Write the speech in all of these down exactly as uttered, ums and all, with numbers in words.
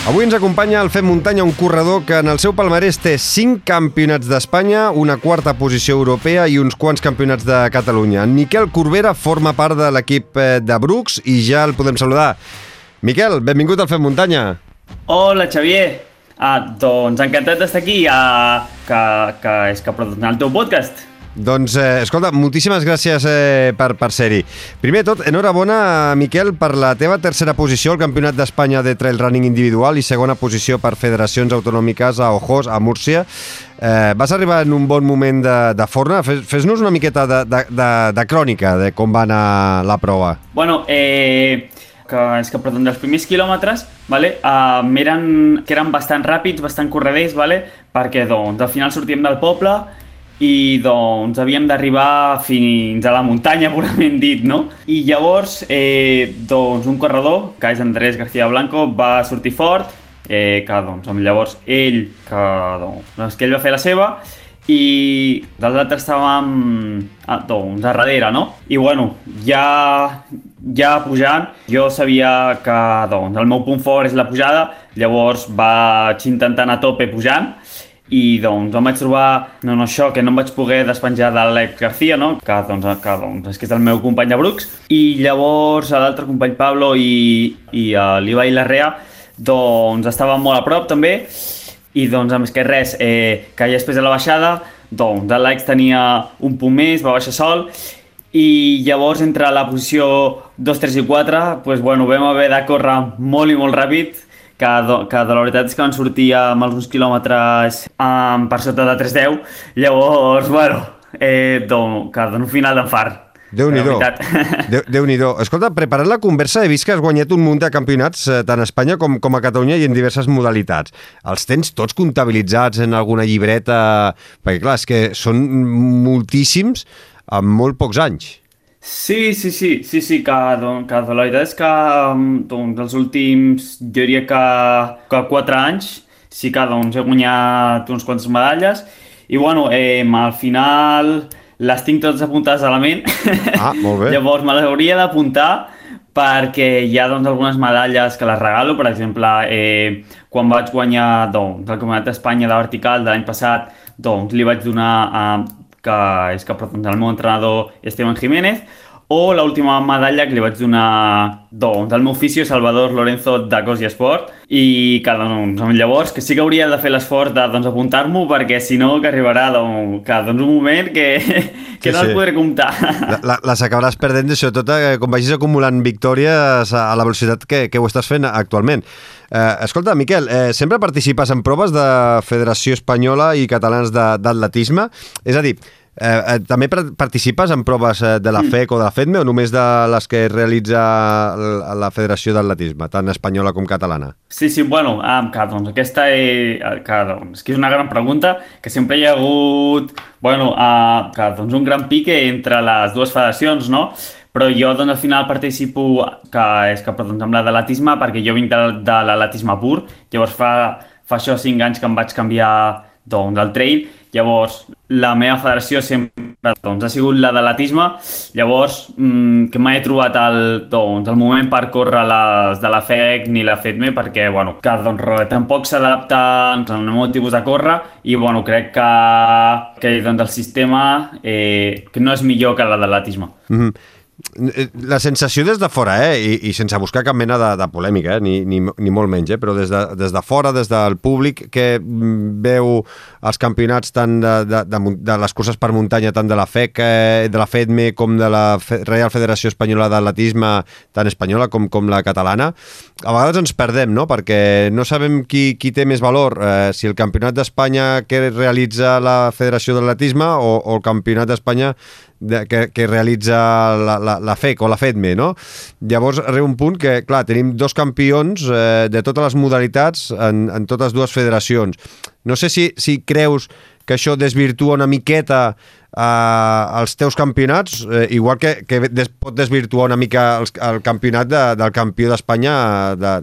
Avui ens acompanya el Fem Muntanya, un corredor que en el seu palmarès té cinc campionats d'Espanya, una quarta posició europea i uns quants campionats de Catalunya. En Miquel Corbera forma part de l'equip de Brooks i ja el podem saludar. Miquel, benvingut al Fem Muntanya. Hola, Xavier. Ah, doncs encantat d'estar aquí, ah, que, que és que produirà el teu podcast. Doncs, eh, escolta, moltíssimes gràcies eh, per, per ser-hi. Primer de tot, enhorabona, Miquel, per la teva tercera posició al Campionat d'Espanya de Trail Running individual i segona posició per federacions autonòmiques a Ojos, a Múrcia. Eh, vas arribar en un bon moment de, de forma. Fes, fes-nos una miqueta de, de, de, de crònica de com va anar la prova. Bueno, eh... que és que perdó, dels primers quilòmetres, vale, uh, eren, que eren bastant ràpids, bastant correders, vale, perquè doncs, al final sortíem del poble i doncs havíem d'arribar fins a la muntanya, purament dit, no? I llavors, eh, doncs, un corredor, que és Andrés García Blanco, va sortir fort, eh, que doncs, llavors ell, que, doncs, que ell va fer la seva, i dels altres estàvem ah, doncs, a darrere, no? I bueno, ja, ja pujant, jo sabia que doncs, el meu punt fort és la pujada, llavors vaig intentar anar a tope pujant i doncs em vaig trobar no, no, això, que no em vaig poder despenjar de l'Alex García, no? que, doncs, que doncs, és que és el meu company de Brooks, i llavors l'altre company Pablo i, i uh, l'Ibai Larrea doncs, estaven molt a prop també. I doncs, a més que res, eh, que ja després de la baixada, doncs l'Alex tenia un punt més, va baixar sol, i llavors entre la posició dos, tres i quatre, doncs, bueno, vam haver de córrer molt i molt ràpid, que, do, que de la veritat és que van sortir amb alguns quilòmetres um, per sota de tres deu, llavors, bueno, eh, doncs, que d'un final d'enfart. Déu-n'hi-do. Déu, Déu-n'hi-do. Escolta, preparant la conversa he vist que has guanyat un munt de campionats eh, tant a Espanya com, com a Catalunya i en diverses modalitats. Els tens tots comptabilitzats en alguna llibreta? Perquè clar, és que són moltíssims en molt pocs anys. Sí, sí, sí, sí, sí, que, doncs, que la veritat és que doncs, els últims, jo diria que, que quatre anys sí que doncs, he guanyat uns quantes medalles i bueno, eh, al final les tinc totes apuntades a la ment. Ah, molt bé. Llavors me les hauria d'apuntar perquè hi ha doncs, algunes medalles que les regalo. Per exemple, eh, quan vaig guanyar doncs, el Campionat d'Espanya de vertical de l'any passat, doncs li vaig donar a, que és que doncs, el meu entrenador Esteban Jiménez, o l'última medalla que li vaig donar doncs, al meu ofici Salvador Lorenzo de Cos i Esport, i que doncs, llavors que sí que hauria de fer l'esforç de doncs, apuntar-m'ho perquè si no que arribarà doncs, que, doncs, un moment que, que sí, no sí. els podré comptar. La, la, les acabaràs perdent, sobretot eh, quan vagis acumulant victòries a la velocitat que, que ho estàs fent actualment. Eh, escolta, Miquel, eh, sempre participes en proves de Federació Espanyola i Catalans d'Atletisme, és a dir, Eh, eh, també participes en proves de la F E C o de la FEDME o només de les que realitza la Federació d'Atletisme, tant espanyola com catalana? Sí, sí, bueno, um, que, doncs, aquesta és, que, doncs, que és una gran pregunta, que sempre hi ha hagut bueno, uh, que, doncs, un gran pique entre les dues federacions, no? Però jo doncs, al final participo que és que, doncs, amb la d'atletisme perquè jo vinc de, de l'atletisme pur, llavors fa, fa això cinc anys que em vaig canviar doncs, del trail. Llavors, la meva federació sempre doncs, ha sigut la d'atletisme, llavors mmm, que mai he trobat el, doncs, el moment per córrer les de la F E C ni la FEDME perquè bueno, que, doncs, tampoc s'adapta doncs, al meu tipus de córrer i bueno, crec que, que doncs, el sistema eh, que no és millor que la de l'atletisme. Mm-hmm. La sensació des de fora, eh? I, i sense buscar cap mena de, de polèmica, eh? ni, ni, ni molt menys, eh? Però des de, des de fora, des del públic que veu els campionats tant de, de, de, de les curses per muntanya, tant de la F E C, eh, de la FEDME com de la Real Federació Espanyola d'Atletisme, tant espanyola com, com la catalana, a vegades ens perdem, no? Perquè no sabem qui, qui té més valor, eh, si el campionat d'Espanya que realitza la Federació d'Atletisme o, o el campionat d'Espanya de, que, que realitza la, la, la F E C o la FEDME, no? Llavors arriba un punt que, clar, tenim dos campions eh, de totes les modalitats en, en totes dues federacions. No sé si, si creus que això desvirtua una miqueta eh, els teus campionats, eh, igual que, que des, pot desvirtuar una mica el, el campionat de, del campió d'Espanya de,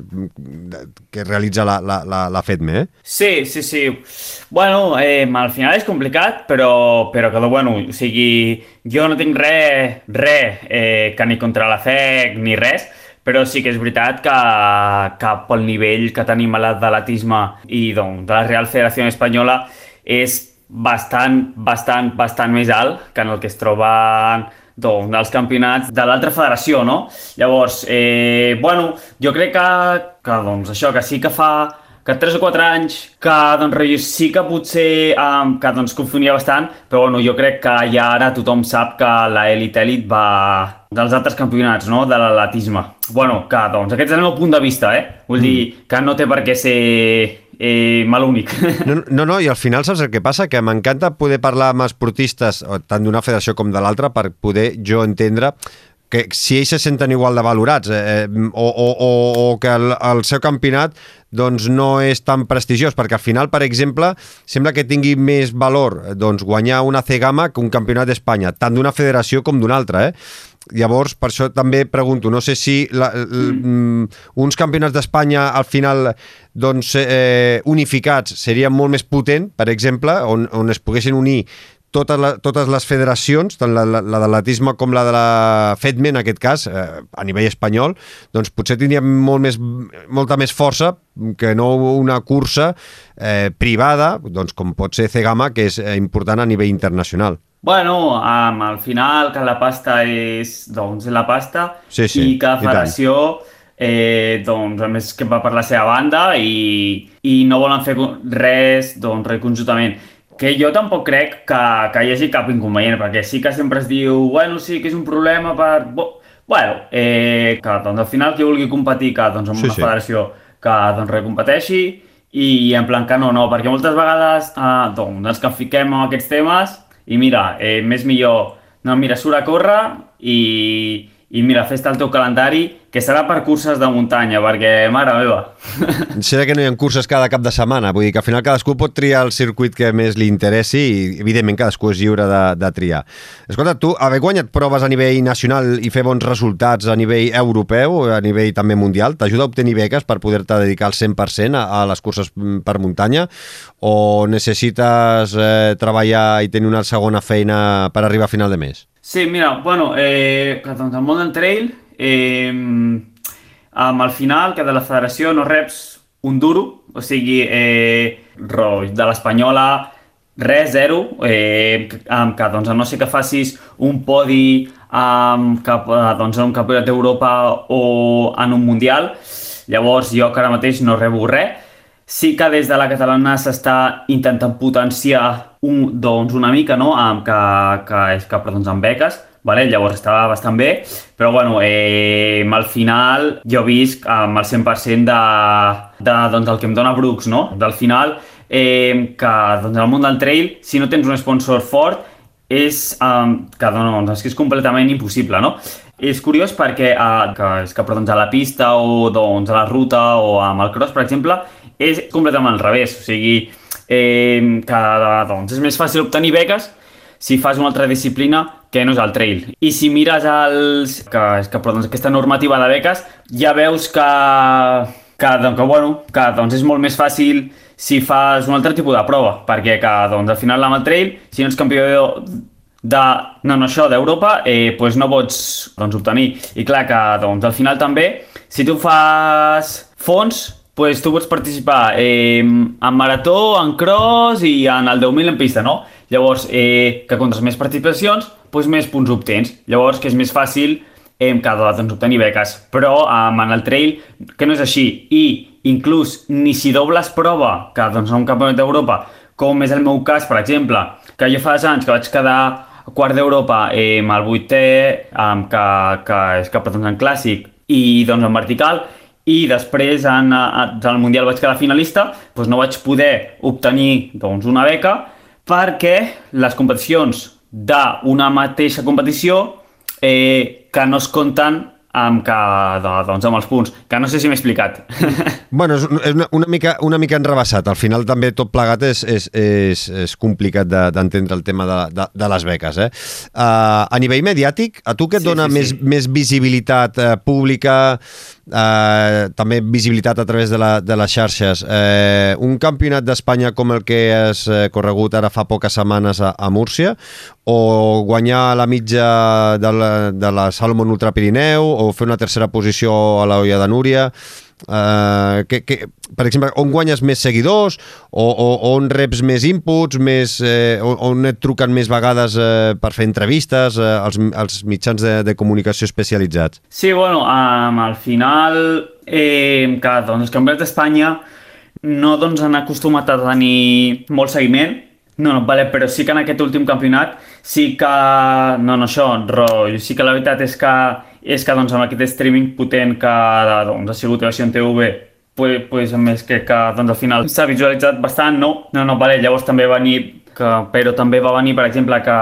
de, que realitza la, la, la, la FEDME, eh? Sí, sí, sí. Bueno, eh, al final és complicat, però, però que, bueno, o sigui, jo no tinc res, res eh, que ni contra la F E C ni res, però sí que és veritat que, que pel nivell que tenim a l'atletisme i doncs, de la Real Federació Espanyola és bastant, bastant, bastant més alt que en el que es troben doncs, dels campionats de l'altra federació, no? Llavors, eh, bueno, jo crec que, que doncs, això, que sí que fa que tres o quatre anys que doncs, sí que potser um, que doncs, confonia bastant, però bueno, jo crec que ja ara tothom sap que l'elit elit va dels altres campionats, no?, de l'atletisme. Bueno, que doncs aquest és el meu punt de vista, eh? Vull mm. dir que no té per què ser eh, mal únic. No, no, no, i al final saps el que passa? Que m'encanta poder parlar amb esportistes, tant d'una federació com de l'altra, per poder jo entendre que si ells se senten igual de valorats eh, o, o, o, o que el, el seu campionat doncs no és tan prestigiós, perquè al final, per exemple, sembla que tingui més valor doncs, guanyar una C-Gama que un campionat d'Espanya, tant d'una federació com d'una altra, eh? Llavors, per això també pregunto, no sé si la, mm. uns campionats d'Espanya al final doncs, eh, unificats serien molt més potent, per exemple, on, on es poguessin unir totes, la, totes les federacions, tant la, la, la de l'atletisme com la de la FEDME, en aquest cas, eh, a nivell espanyol, doncs potser tindria molt més, molta més força que no una cursa eh, privada, doncs com pot ser C-Gama, que és eh, important a nivell internacional. Bueno, um, al final que la pasta és doncs, la pasta sí, sí, i que la federació eh, doncs, a més que va per la seva banda i, i no volen fer res, doncs, res conjuntament. Que jo tampoc crec que, que hi hagi cap inconvenient, perquè sí que sempre es diu bueno, sí que és un problema per... Bueno, eh, que doncs, al final qui vulgui competir que doncs, amb sí, una sí. federació que doncs, recompeteixi i en plan que no, no, perquè moltes vegades eh, doncs, ens que fiquem en aquests temes i mira, eh, més millor, no, mira, surt a córrer i, i mira, fes-te el teu calendari, que serà per curses de muntanya, perquè, mare meva. Serà que no hi ha curses cada cap de setmana, vull dir que al final cadascú pot triar el circuit que més li interessi i, evidentment, cadascú és lliure de, de triar. Escolta, tu, haver guanyat proves a nivell nacional i fer bons resultats a nivell europeu, a nivell també mundial, t'ajuda a obtenir beques per poder-te dedicar al cent per cent a, a les curses per muntanya o necessites eh, treballar i tenir una segona feina per arribar a final de mes? Sí, mira, bueno, eh, doncs el món del trail, eh, amb al final que de la federació no reps un duro, o sigui, eh, de l'espanyola res, zero, eh, que doncs a no ser que facis un podi amb, cap, doncs, en un campionat d'Europa o en un mundial, llavors jo que ara mateix no rebo res. Sí que des de la catalana s'està intentant potenciar un, doncs una mica, no?, amb, que, que és que, doncs, amb beques, vale? Llavors estava bastant bé, però bueno, eh, al final jo visc amb el cent per cent de, de, doncs, del que em dona Brooks, no? Del final, eh, que doncs, el món del trail, si no tens un sponsor fort, és, um, que, doncs, és que és completament impossible, no? És curiós perquè uh, que, és que, però, doncs, a la pista o doncs, a la ruta o amb el cross, per exemple, és completament al revés, o sigui, eh, que doncs, és més fàcil obtenir beques si fas una altra disciplina que no és el trail. I si mires els, que, que, però, doncs, aquesta normativa de beques, ja veus que, que, doncs, que, bueno, que doncs, és molt més fàcil si fas un altre tipus de prova, perquè que, doncs, al final amb el trail, si no ets campió de, no, no, això, d'Europa, eh, pues no pots doncs, obtenir. I clar que doncs, al final també, si tu fas fons, pues tu pots participar eh, en marató, en cross i en el deu mil en pista, no? Llavors, eh, que contres més participacions, pues més punts obtens. Llavors, que és més fàcil eh, que doncs, obtenir beques. Però eh, en el trail, que no és així. I inclús ni si dobles prova, que doncs, en un campionat d'Europa, com és el meu cas, per exemple, que jo fa anys que vaig quedar quart d'Europa eh, amb el vuitè, eh, que, que és que doncs, en clàssic i doncs, en vertical, i després en, en el Mundial vaig quedar finalista, doncs no vaig poder obtenir doncs, una beca perquè les competicions d'una mateixa competició eh, que no es compten amb, que, doncs, amb els punts, que no sé si m'he explicat. Bueno, és una, una, mica, una mica enrebaçat. Al final també tot plegat és, és, és, és complicat d'entendre de, el tema de, de, de les beques. Eh? Uh, a nivell mediàtic, a tu què et sí, dona sí, més, sí. més visibilitat uh, pública, uh, també visibilitat a través de, la, de les xarxes? Uh, un campionat d'Espanya com el que has uh, corregut ara fa poques setmanes a, a Múrcia, o guanyar la mitja de la, de la Salomon Ultra Pirineu, o o fer una tercera posició a l'Olla de Núria. Uh, que, que, per exemple, on guanyes més seguidors o, o, o on reps més inputs, més, eh, on et truquen més vegades eh, per fer entrevistes eh, als, als mitjans de, de comunicació especialitzats? Sí, bueno, um, al final eh, que doncs, els campionats d'Espanya no doncs, han acostumat a tenir molt seguiment. No, no, vale, però sí que en aquest últim campionat sí que... No, no, això, rotllo, sí que la veritat és que és que doncs, amb aquest streaming potent que doncs, ha sigut Televisió T V, pues, pues, a més que, que doncs, al final s'ha visualitzat bastant, no? No, no, vale, llavors també va venir, que, però també va venir, per exemple, que,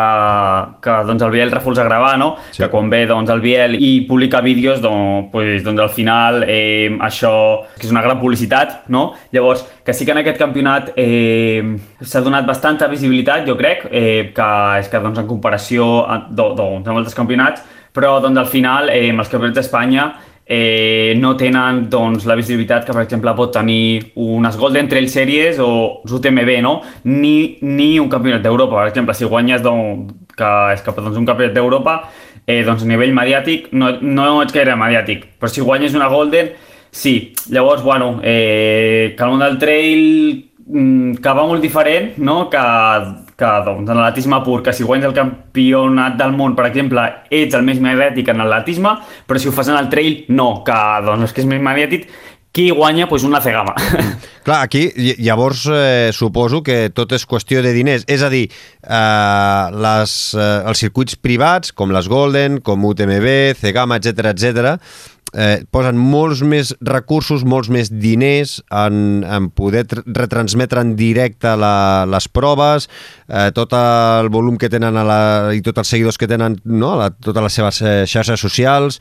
que doncs, el Biel refusa gravar, no? Sí. Que quan ve doncs, el Biel i publica vídeos, doncs, pues, doncs al final eh, això que és una gran publicitat, no? Llavors, que sí que en aquest campionat eh, s'ha donat bastanta visibilitat, jo crec, eh, que és que doncs, en comparació a, doncs, amb altres campionats, però doncs, al final eh, els campionats d'Espanya eh, no tenen doncs, la visibilitat que per exemple pot tenir unes Golden Trail Series o U T M B, no? Ni, ni un campionat d'Europa. Per exemple, si guanyes doncs, que és que, doncs, un campionat d'Europa, eh, doncs, a nivell mediàtic no, no ets gaire mediàtic, però si guanyes una Golden, sí. Llavors, bueno, eh, que el món del trail que va molt diferent, no? que, que doncs, en l'atletisme pur, que si guanyes el campionat del món, per exemple, ets el més mediàtic en l'atletisme, però si ho fas en el trail, no, que doncs, és que és més mediàtic, qui guanya? Pues una cegama. Clar, aquí llavors eh, suposo que tot és qüestió de diners, és a dir, eh, les, eh, els circuits privats, com les Golden, com U T M B, Cegama, etcètera, etcètera, Eh, posen molts més recursos, molts més diners en, en poder retransmetre en directe la, les proves, eh, tot el volum que tenen a la, i tots els seguidors que tenen, no? a la, totes les seves eh, xarxes socials.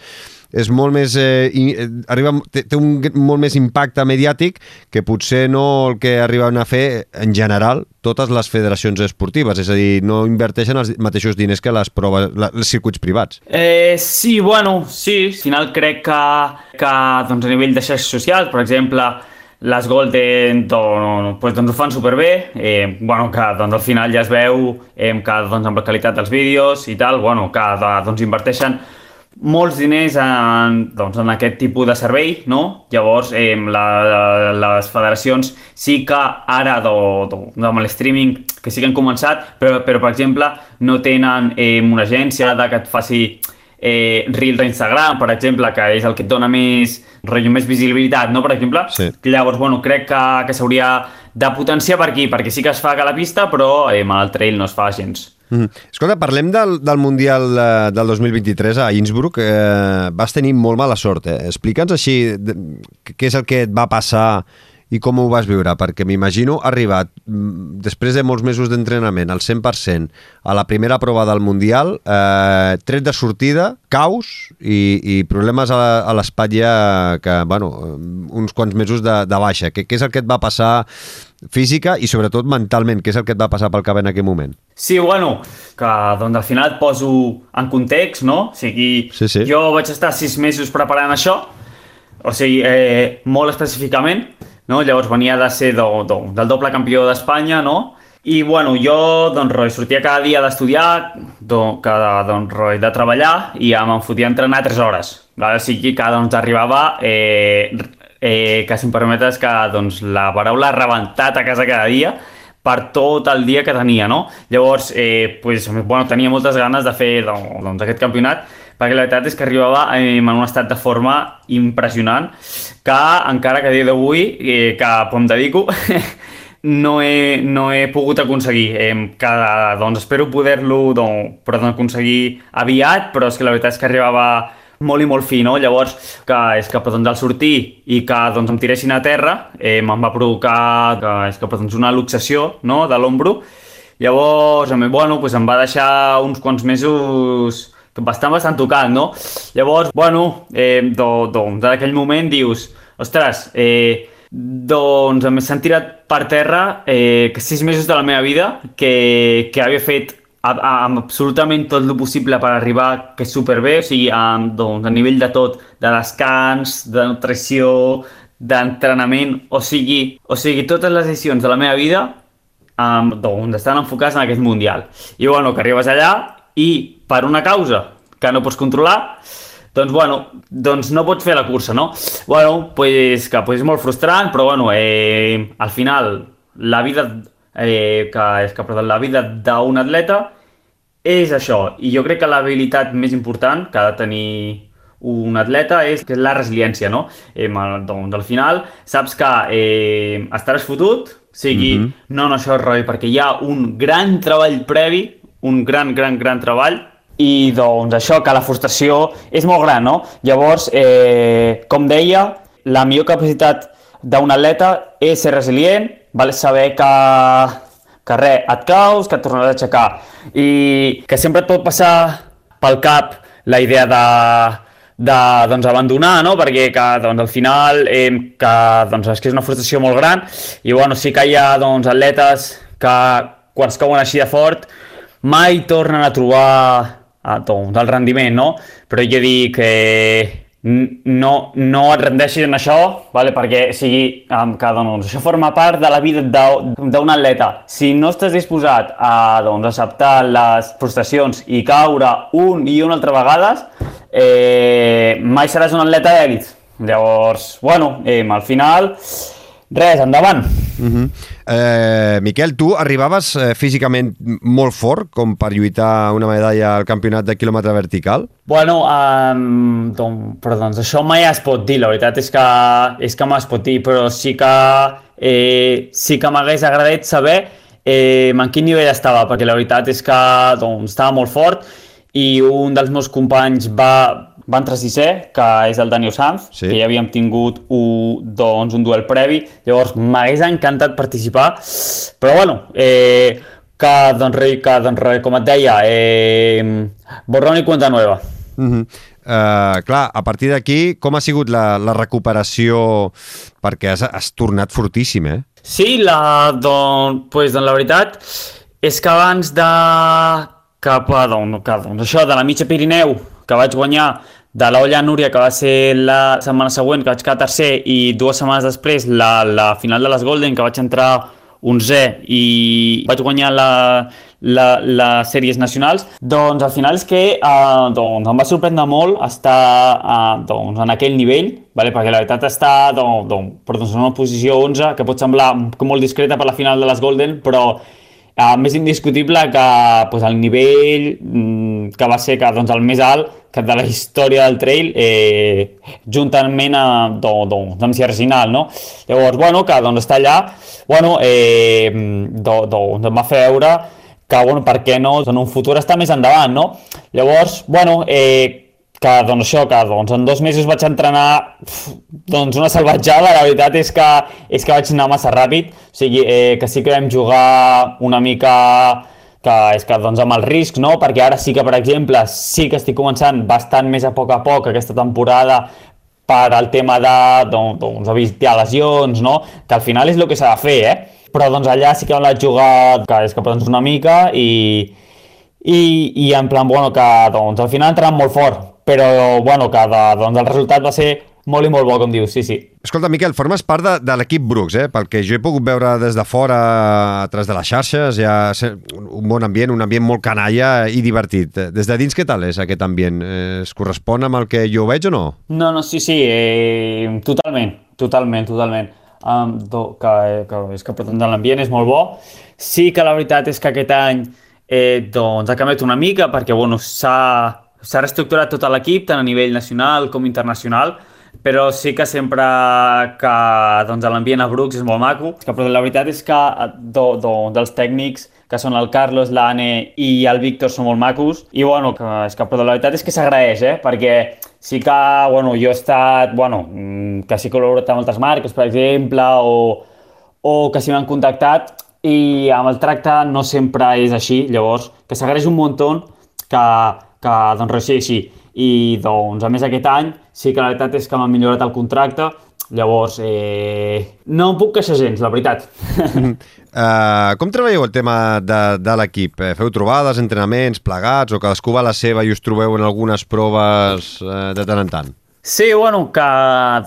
És molt més eh, i, eh, arriba, té, té un molt més impacte mediàtic que potser no el que arriben a fer en general totes les federacions esportives, és a dir, no inverteixen els mateixos diners que les proves, la, els circuits privats. Eh, sí, bueno, sí, al final crec que, que doncs, a nivell de xarxes socials, per exemple, les Golden doncs, doncs ho fan superbé, eh, bueno, que doncs, al final ja es veu eh, que doncs, amb la qualitat dels vídeos i tal, bueno, que doncs, inverteixen molts diners en, doncs, en aquest tipus de servei, no? Llavors, eh, la, les federacions sí que ara, do, do, amb l'streaming, que sí que han començat, però, però per exemple, no tenen eh, una agència de que et faci eh, Reels d'Instagram, per exemple, que és el que et dona més, rotllo, més visibilitat, no? Per exemple, sí. Llavors, bueno, crec que, que s'hauria de potenciar per aquí, perquè sí que es fa a la pista, però eh, amb el trail no es fa gens. Mm. Escolta, parlem del, del Mundial eh, del dos mil vint-i-tres a Innsbruck. Eh, vas tenir molt mala sort. Eh? Explica'ns així de, què és el que et va passar i com ho vas viure, perquè m'imagino arribat després de molts mesos d'entrenament al cent per cent a la primera prova del Mundial, eh, tret de sortida, caos i, i problemes a, a l'espatlla, que, bueno, uns quants mesos de, de baixa. Què, què és el que et va passar física i sobretot mentalment? Què és el que et va passar pel cap en aquell moment? Sí, bueno, que doncs al final et poso en context, no? O sigui, sí, sí. Jo vaig estar sis mesos preparant això, o sigui, eh, molt específicament, no? Llavors venia de ser do, do, del doble campió d'Espanya, no? I bueno, jo doncs, roi, sortia cada dia d'estudiar, do, cada, doncs, roi, de treballar, i ja me'n fotia a entrenar tres hores. O sigui que doncs, arribava, eh, eh, que si em permetes, que doncs, la paraula rebentat a casa cada dia, per tot el dia que tenia, no? Llavors, eh, pues, bueno, tenia moltes ganes de fer doncs, aquest campionat, perquè la veritat és que arribava en un estat de forma impressionant, que encara que a dia d'avui, eh, que em dedico, no he, no he pogut aconseguir. Eh, que, doncs, espero poder-lo doncs, aconseguir aviat, però és que la veritat és que arribava molt i molt fi, no? Llavors, que és que doncs, al sortir i que doncs, em tiressin a terra, eh, me'n va provocar que, és que, doncs, una luxació, no? De l'ombro. Llavors, bueno, doncs, em va deixar uns quants mesos bastant, bastant tocat, no? Llavors, bueno, eh, do, do, d'aquell moment dius, ostres, eh, doncs s'han tirat per terra eh, sis mesos de la meva vida que, que havia fet amb absolutament tot el possible per arribar, que és superbé, o sigui, amb, doncs, a nivell de tot, de descans, de nutrició, d'entrenament, o sigui, o sigui, totes les decisions de la meva vida um, doncs, estan enfocades en aquest Mundial. I bueno, que arribes allà i per una causa que no pots controlar, doncs, bueno, doncs no pots fer la cursa, no? Bueno, pues, que pues és molt frustrant, però bueno, eh, al final la vida, eh, que, és que, perdó, la vida d'un atleta és això, i jo crec que l'habilitat més important que ha de tenir un atleta és, que és la resiliència, no? Eh, doncs al final saps que eh, estaràs fotut, sigui, mm-hmm. no, no, això és rotllo, perquè hi ha un gran treball previ, un gran, gran, gran treball, i doncs això, que la frustració és molt gran, no? Llavors, eh, com deia, la millor capacitat d'un atleta és ser resilient, val? Saber que que res, et caus, que et tornaràs a aixecar, i que sempre et pot passar pel cap la idea de, de doncs, abandonar, no? Perquè que, doncs, al final eh, que, doncs, és que és una frustració molt gran, i bueno, sí que hi ha doncs, atletes que quan es cauen així de fort mai tornen a trobar eh, doncs, el rendiment, no? Però jo dic que eh, no, no et rendeixis en això, vale? Perquè sigui, que doncs, això forma part de la vida d'un atleta. Si no estàs disposat a doncs, acceptar les frustracions i caure un i una altra vegades, eh, mai seràs un atleta d'èlit. Llavors, bueno, eh, al final, res, endavant. Uh-huh. eh, Miquel, tu arribaves eh, físicament molt fort com per lluitar una medalla al campionat de quilòmetre vertical? Bueno, um, doncs, però doncs això mai es pot dir, la veritat és que, és que mai es pot dir, però sí que, eh, sí que m'hagués agradat saber eh, en quin nivell estava, perquè la veritat és que doncs, estava molt fort, i un dels meus companys va, va entrar sisè, que és el Daniel Sanz, sí. Que ja havíem tingut un, doncs, un duel previ, llavors m'hagués encantat participar, però bueno, eh, que, doncs, que doncs, com et deia, eh, borrón i cuenta nueva. Uh-huh. Uh, clar, a partir d'aquí, com ha sigut la, la recuperació? Perquè has, has tornat fortíssim, eh? Sí, la, doncs, pues, doncs, la veritat és que abans de... cap a, doncs, que, doncs, això, de la mitja Pirineu, que vaig guanyar, de l'Olla Núria, que va ser la setmana següent, que vaig quedar tercer, i dues setmanes després la, la final de les Golden, que vaig entrar onzè i vaig guanyar la, la, les sèries nacionals, doncs al final és que eh, doncs, em va sorprendre molt estar eh, doncs, en aquell nivell, vale? Perquè la veritat està doncs, doncs, doncs, en una posició onze, que pot semblar molt discreta per la final de les Golden, però Uh, més indiscutible que pues, el nivell mm, que va ser que, doncs, el més alt que de la història del trail, eh, juntament a, do, do, amb Sierra Sinal, no? Llavors, bueno, que doncs, està allà, bueno, eh, do, do, em va fer veure que, bueno, per què no, en un futur està més endavant, no? Llavors, bueno, eh, que doncs això, que doncs, en dos mesos vaig entrenar doncs, una salvatjada, la veritat és que, és que vaig anar massa ràpid, o sigui, eh, que sí que vam jugar una mica que és que doncs, amb el risc, no? Perquè ara sí que, per exemple, sí que estic començant bastant més a poc a poc aquesta temporada per al tema de, doncs, doncs evitar lesions, no? Que al final és el que s'ha de fer, eh? Però doncs allà sí que vam jugar, que és que doncs, una mica i, i, i en plan, bueno, que doncs, al final entrant molt fort, però bueno, que de, doncs, el resultat va ser molt i molt bo, com dius, sí, sí. Escolta, Miquel, formes part de, de l'equip Brooks, eh? Pel que jo he pogut veure des de fora, a través de les xarxes, hi ha un bon ambient, un ambient molt canalla i divertit. Des de dins, què tal és aquest ambient? Es correspon amb el que jo veig o no? No, no, sí, sí, eh, totalment, totalment, totalment. Um, do, que, que, és que l'ambient és molt bo. Sí que la veritat és que aquest any eh, doncs, ha canviat una mica, perquè bueno, s'ha s'ha reestructurat tot l'equip, tant a nivell nacional com internacional, però sí que sempre que doncs, l'ambient a Brooks és molt maco. Però la veritat és que do, do, dels tècnics, que són el Carlos, l'Anne i el Víctor, són molt macos, i bueno, que, és que, però la veritat és que s'agraeix, eh? Perquè sí que bueno, jo he estat, bueno, que sí que he col·laborat amb altres marques, per exemple, o, o que sí m'han contactat, i amb el tracte no sempre és així, llavors, que s'agraeix un muntó que que doncs res, sí, sí. I doncs a més aquest any sí que la veritat és que m'ha millorat el contracte, llavors eh, no em puc queixar gens, la veritat. uh, com treballeu el tema de, de l'equip? Feu trobades, entrenaments, plegats, o cadascú va a la seva i us trobeu en algunes proves uh, de tant en tant? Sí, bueno, que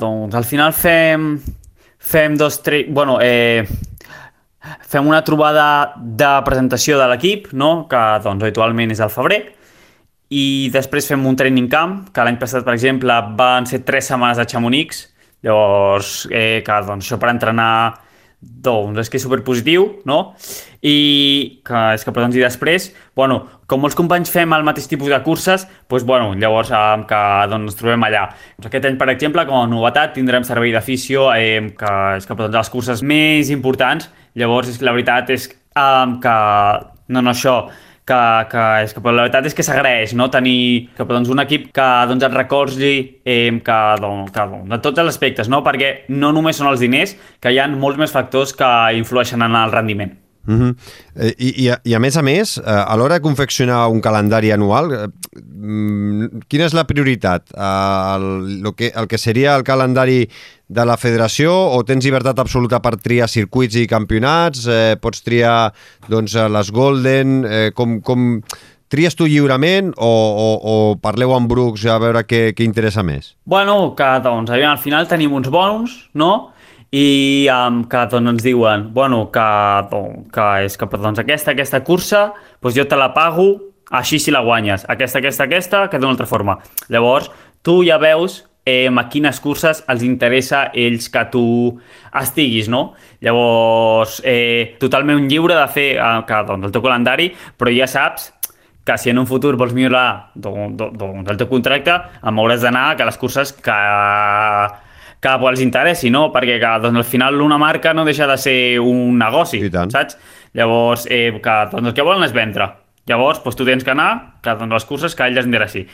doncs al final fem fem dos, tres, bueno, eh, fem una trobada de presentació de l'equip, no? Que doncs habitualment és al febrer, i després fem un training camp, que l'any passat, per exemple, van ser tres setmanes a Chamonix, llavors, eh, que, doncs, això per entrenar, doncs, és que és superpositiu, no? I que, és que, però, doncs, i després, bueno, com molts companys fem el mateix tipus de curses, doncs, bueno, llavors eh, que doncs, ens trobem allà. Doncs aquest any, per exemple, com a novetat, tindrem servei d'afició, eh, que és que, però, doncs, les curses més importants, llavors, és que la veritat és eh, que, no, no, això, que, que, és que però la veritat és que s'agraeix, no? Tenir que, doncs, un equip que doncs, et recolzi eh, que, doncs, que, doncs, de tots els aspectes, no? Perquè no només són els diners, que hi ha molts més factors que influeixen en el rendiment. Uh -huh. I, i, a, I a més a més, a l'hora de confeccionar un calendari anual, quina és la prioritat? El, el, que, el que seria el calendari de la federació, o tens llibertat absoluta per triar circuits i campionats? Eh, pots triar doncs, les Golden? Eh, com, com tries tu lliurement o, o, o parleu amb Brooks a veure què, què interessa més? Bueno, que doncs, al final tenim uns bons, no? I um, que doncs, ens diuen bueno, que, doncs, que és que doncs, aquesta, aquesta cursa doncs, jo te la pago així si la guanyes, aquesta, aquesta, aquesta que d'una altra forma. Llavors tu ja veus eh, a quines curses els interessa ells que tu estiguis, no? Llavors eh, totalment lliure de fer eh, que, doncs, el teu calendari, però ja saps que si en un futur vols millorar doncs, doncs, el teu contracte, em hauràs d'anar que les curses que que els interessi, no? Perquè que, doncs, al final una marca no deixa de ser un negoci, saps? Llavors, eh, que, doncs, el que volen és vendre. Llavors, doncs, tu tens que anar que, doncs, les curses que a ells els interessi.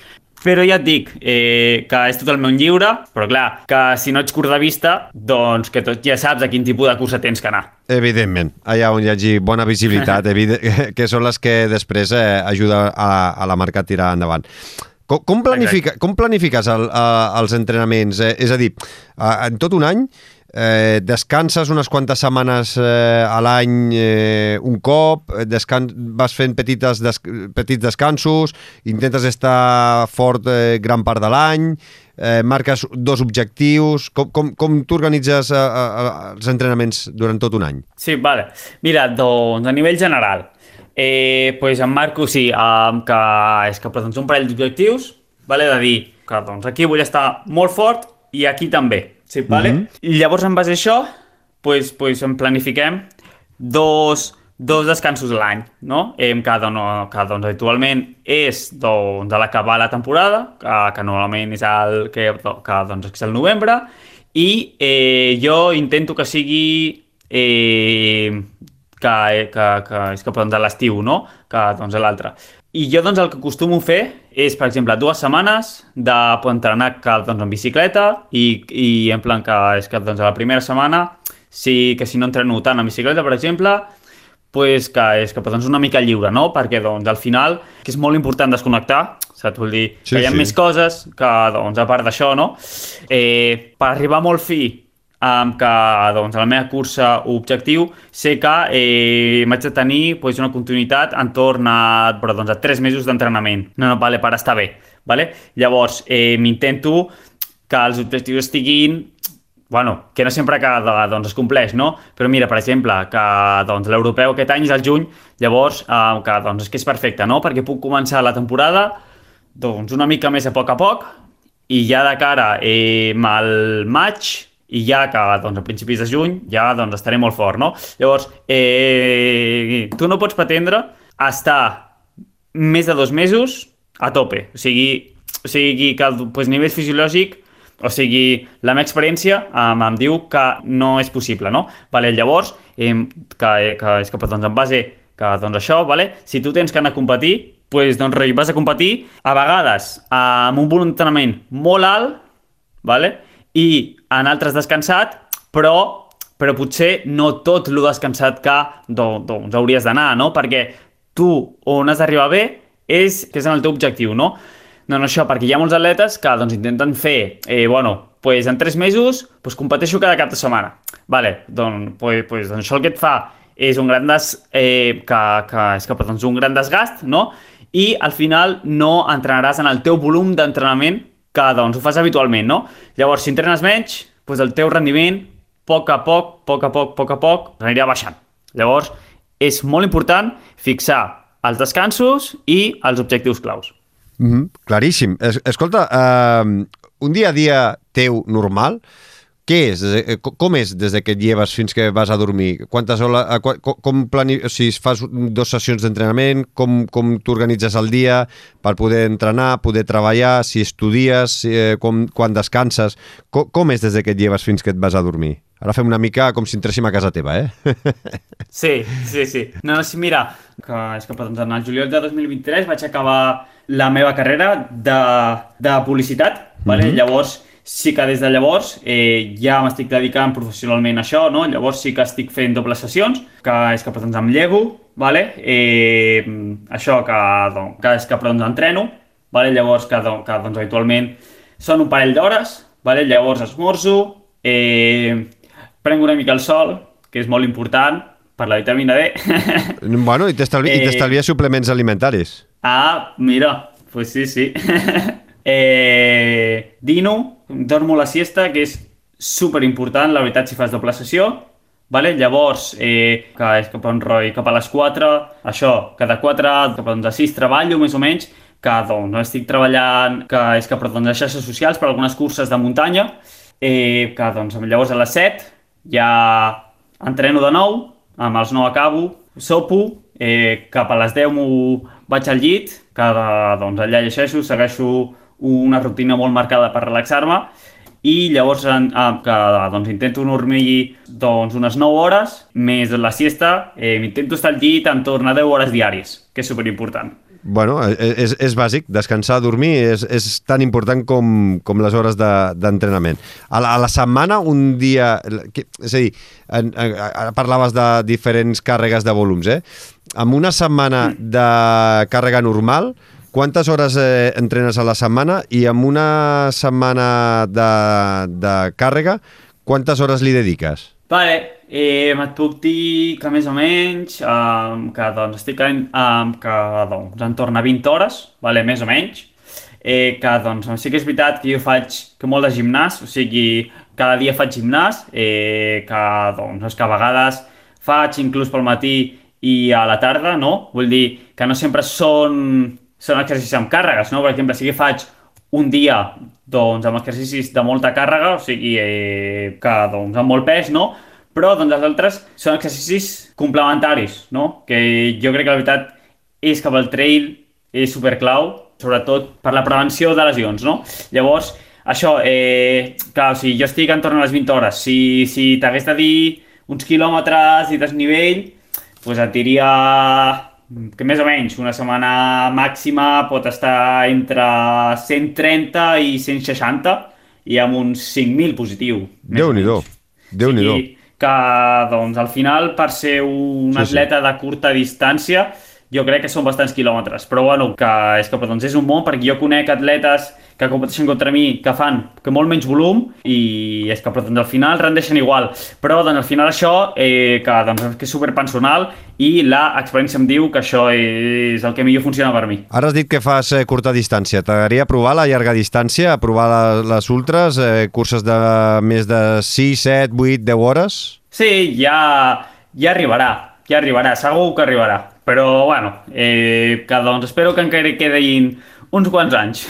Però ja et dic eh, que és totalment lliure, però clar, que si no ets curt de vista, doncs que tot ja saps a quin tipus de cursa tens que anar. Evidentment, allà on hi hagi bona visibilitat, que són les que després eh, ajuda a, a la marca a tirar endavant. Com, com, planifica, com planifiques el, uh, els entrenaments? Eh, és a dir, uh, en tot un any eh, descanses unes quantes setmanes eh, a l'any eh, un cop, descans, vas fent petites des, petits descansos, intentes estar fort eh, gran part de l'any, eh, marques dos objectius. Com, com, com tu organitzes eh, eh, els entrenaments durant tot un any? Sí, vale. Mira, doncs a nivell general, Eh, pues en marco, sí, um, que és que doncs, un parell d'objectius, vale, de dir que doncs, aquí vull estar molt fort i aquí també, sí, vale? Mm-hmm. I llavors en base a això pues, pues, en planifiquem dos, dos descansos a l'any, no? Eh, que, doncs, que doncs, habitualment és doncs, de l'acabar la temporada, que, que normalment és el, que, que, doncs, és el novembre, i eh, jo intento que sigui eh, que, que, que és que doncs, a l'estiu, no? Que doncs, a l'altre. I jo doncs, el que acostumo a fer és, per exemple, dues setmanes de pues, entrenar que, doncs, en bicicleta i, i en plan que és que doncs, a la primera setmana sí que si no entreno tant en bicicleta, per exemple, pues, que és que doncs, una mica lliure, no? Perquè doncs, al final que és molt important desconnectar, saps? Vull dir sí, que hi ha sí. més coses que doncs, a part d'això, no? Eh, per arribar molt fi Um, que doncs, a la meva cursa objectiu sé que eh, m'haig de tenir pues, una continuïtat entorn a, però, doncs, a tres mesos d'entrenament, no, no, vale, per estar bé, vale? Llavors eh, m'intento que els objectius estiguin, bueno, que no sempre que doncs, es compleix, no? Però mira, per exemple, que doncs, l'europeu aquest any és el juny, llavors eh, que doncs, és que és perfecte, no? Perquè puc començar la temporada doncs, una mica més a poc a poc i ja de cara eh, al maig i ja que doncs, a principis de juny ja doncs, estaré molt fort, no? Llavors, eh, tu no pots pretendre estar més de dos mesos a tope. O sigui, o sigui que a pues, nivell fisiològic, o sigui, la meva experiència em, em diu que no és possible, no? Vale, llavors, eh, que, que és que doncs, en base que doncs, això, vale? Si tu tens que anar a competir, pues, doncs, vas a competir a vegades amb un volum d'entrenament molt alt, vale? I en altres descansat, però, però potser no tot el descansat que doncs, doncs hauries d'anar, no? Perquè tu on has d'arribar bé és que és en el teu objectiu, no? No, no, això, perquè hi ha molts atletes que doncs, intenten fer, eh, bueno, pues en tres mesos pues, competeixo cada cap de setmana. Vale, doncs, pues, pues, doncs això el que et fa és un gran, des, eh, que, que, és que, doncs, un gran desgast, no? I al final no entrenaràs en el teu volum d'entrenament que doncs, ho fas habitualment, no? Llavors, si entrenes menys, doncs el teu rendiment, a poc a poc, a poc a poc, a poc a poc, anirà baixant. Llavors, és molt important fixar els descansos i els objectius claus. Mm-hmm, claríssim. Es, escolta, uh, un dia a dia teu normal, què és? Com és des que et lleves fins que vas a dormir? Quantes hores, com plani... o sigui, fas dues sessions d'entrenament, com, com t'organitzes el dia per poder entrenar, poder treballar, si estudies, eh, com, quan descanses, com, com és des que et lleves fins que et vas a dormir? Ara fem una mica com si entréssim a casa teva, eh? Sí, sí, sí. No, no, sí, mira, que és que doncs, en el juliol de dos mil vint-i-tres vaig acabar la meva carrera de, de publicitat, vale? Mm-hmm. Llavors sí que des de llavors eh, ja m'estic dedicant professionalment a això, no? Llavors sí que estic fent dobles sessions, que és que doncs, em llevo, vale? eh, això que, doncs, que és que doncs, entreno, vale? Llavors que, doncs, que doncs, habitualment són un parell d'hores, vale? Llavors esmorzo, eh, prenc una mica el sol, que és molt important per la vitamina D. Bueno, i t'estalvies eh... suplements alimentaris. Ah, mira, pues sí, sí. eh, dino, dormo la siesta, que és super important, la veritat, si fas doble sessió. Vale? Llavors, eh, que és cap a un roi, cap a les quatre, això, cada quatre, cap a a sis treballo, més o menys, que doncs, estic treballant, que és cap a doncs, xarxes socials per algunes curses de muntanya, eh, que doncs, llavors a les set ja entreno de nou, amb els nou acabo, sopo, eh, cap a les deu m'ho vaig al llit, que doncs, allà llegeixo, segueixo una rutina molt marcada per relaxar-me, i llavors en, que, doncs, intento dormir doncs, unes nou hores, més la siesta, eh, intento estar al llit entorn a deu hores diàries, que és superimportant. Bueno, és, és bàsic, descansar, dormir és, és tan important com, com les hores d'entrenament. De, a, la, a la setmana, un dia... És a dir, en, en, ara parlaves de diferents càrregues de volums, eh? En una setmana de càrrega normal, quantes hores eh, entrenes a la setmana? I en una setmana de, de càrrega, quantes hores li dediques? Vale, eh, et puc dir que més o menys um, que doncs, estic en, um, que, doncs, entorn a vint hores, vale, més o menys, eh, que doncs, sí que és veritat que jo faig que molt de gimnàs, o sigui, cada dia faig gimnàs, eh, que, doncs, que a vegades faig inclús pel matí i a la tarda, no? Vull dir que no sempre són, són exercicis amb càrregues, no? Per exemple, sí que faig un dia doncs, amb exercicis de molta càrrega, o sigui, eh, que doncs, amb molt pes, no? Però doncs, els altres són exercicis complementaris, no? Que jo crec que la veritat és que el trail és superclau, sobretot per la prevenció de lesions, no? Llavors, això, eh, clar, o sigui, jo estic entorn a les vint hores. Si, si t'hagués de dir uns quilòmetres i desnivell, doncs et diria que més o menys una setmana màxima pot estar entre cent trenta i cent seixanta i amb uns cinc mil positiu. Déu-n'hi-do, Déu-n'hi-do. Sí, que doncs al final per ser un sí, atleta sí. de curta distància jo crec que són bastants quilòmetres, però bueno, que és que doncs, és un món perquè jo conec atletes que competeixen contra mi que fan que molt menys volum i és que doncs, al final rendeixen igual, però doncs, al final això eh, que, doncs, que és superpersonal i l'experiència em diu que això és el que millor funciona per mi. Ara has dit que fas eh, curta distància, t'agradaria provar la llarga distància, provar la, les ultras, eh, curses de més de sis, set, vuit, deu hores? Sí, ja, ja arribarà, ja arribarà, segur que arribarà. Però, bueno, eh, que doncs espero que encara quedin uns quants anys.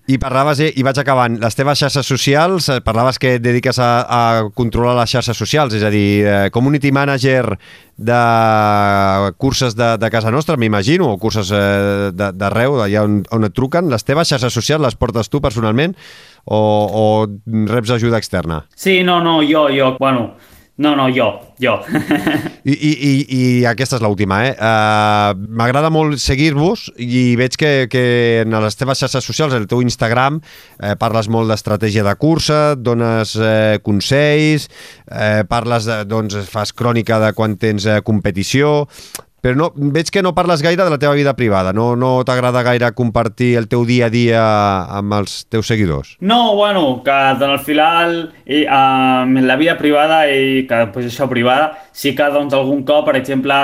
I parlaves, eh, i vaig acabant, les teves xarxes socials, parlaves que et dediques a, a controlar les xarxes socials, és a dir, eh, community manager de curses de, de casa nostra, m'imagino, o curses eh, d'arreu, d'allà on, on et truquen. Les teves xarxes socials les portes tu personalment o, o reps ajuda externa? Sí, no, no, jo, jo, bueno... No, no, jo, jo. I, i, i, i aquesta és l'última, eh? Uh, M'agrada molt seguir-vos i veig que, que en les teves xarxes socials, el teu Instagram, eh, parles molt d'estratègia de cursa, dones eh, consells, eh, parles, de, doncs, fas crònica de quan tens eh, competició... Però no, veig que no parles gaire de la teva vida privada, no, no t'agrada gaire compartir el teu dia a dia amb els teus seguidors? No, bueno, que doncs, al final eh, en la vida privada i que pues, això privada, sí que doncs, algun cop, per exemple,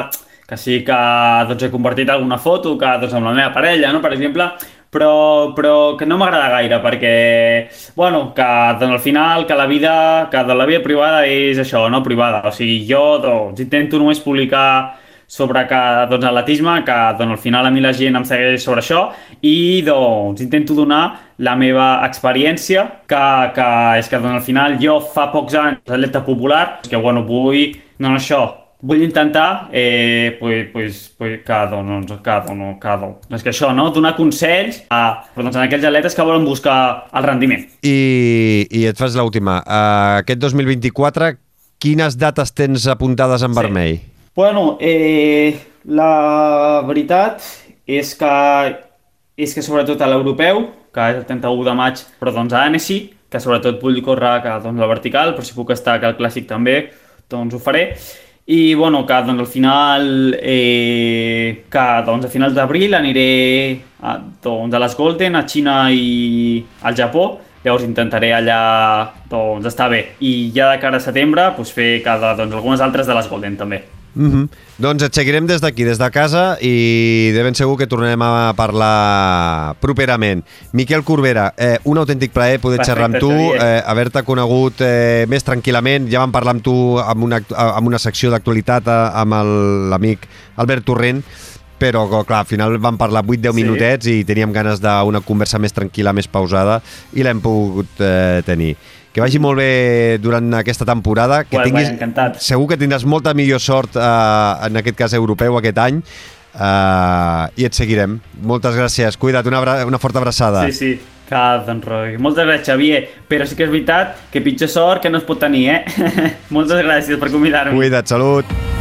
que sí que doncs, he compartit alguna foto que, doncs, amb la meva parella, no? Per exemple, però, però que no m'agrada gaire perquè, bueno, que doncs, al final que la vida, que de la vida privada és això, no privada, o sigui, jo doncs, intento només publicar sobre que, doncs, atletisme, que doncs, al final a mi la gent em segueix sobre això i doncs intento donar la meva experiència, que, que és que doncs, al final jo fa pocs anys atleta popular, que bueno, vull, no, no això, vull intentar eh, pues, pues, pues, que, doncs, que, doncs, que, doncs, és que això, no? Donar consells a, doncs, a aquells atletes que volen buscar el rendiment. I, i et fas l'última. Uh, aquest dos mil vint-i-quatre, quines dates tens apuntades en sí. vermell? Bueno, eh, la veritat és que, és que sobretot a l'europeu, que és el trenta-u de maig, però doncs a Annecy, que sobretot vull córrer que, doncs, la vertical, però si puc estar que el clàssic també, doncs ho faré. I bueno, que doncs al final eh, que doncs a finals d'abril aniré a, doncs, a les Golden, a Xina i al Japó. Llavors intentaré allà doncs, estar bé. I ja de cara a setembre doncs, fer cada, doncs, algunes altres de les Golden també. Mm-hmm. Doncs et seguirem des d'aquí, des de casa, i de ben segur que tornarem a parlar properament. Miquel Corbera, eh, un autèntic plaer poder Perfecte, xerrar amb tu, eh, haver-te conegut eh, més tranquil·lament. Ja vam parlar amb tu amb una, amb una secció d'actualitat amb l'amic Albert Torrent, però clar, al final vam parlar vuit deu sí. minutets i teníem ganes d'una conversa més tranquil·la, més pausada, i l'hem pogut eh, tenir. Que vagi molt bé durant aquesta temporada, que well, tinguis, well, segur que tindràs molta millor sort, eh, en aquest cas europeu, aquest any, eh, i et seguirem. Moltes gràcies, cuida't, una, una forta abraçada. Sí, sí, que doncs Roi. Moltes gràcies, Xavier, però sí que és veritat que pitjor sort que no es pot tenir, eh? Moltes gràcies per convidar-me. Cuida't, salut.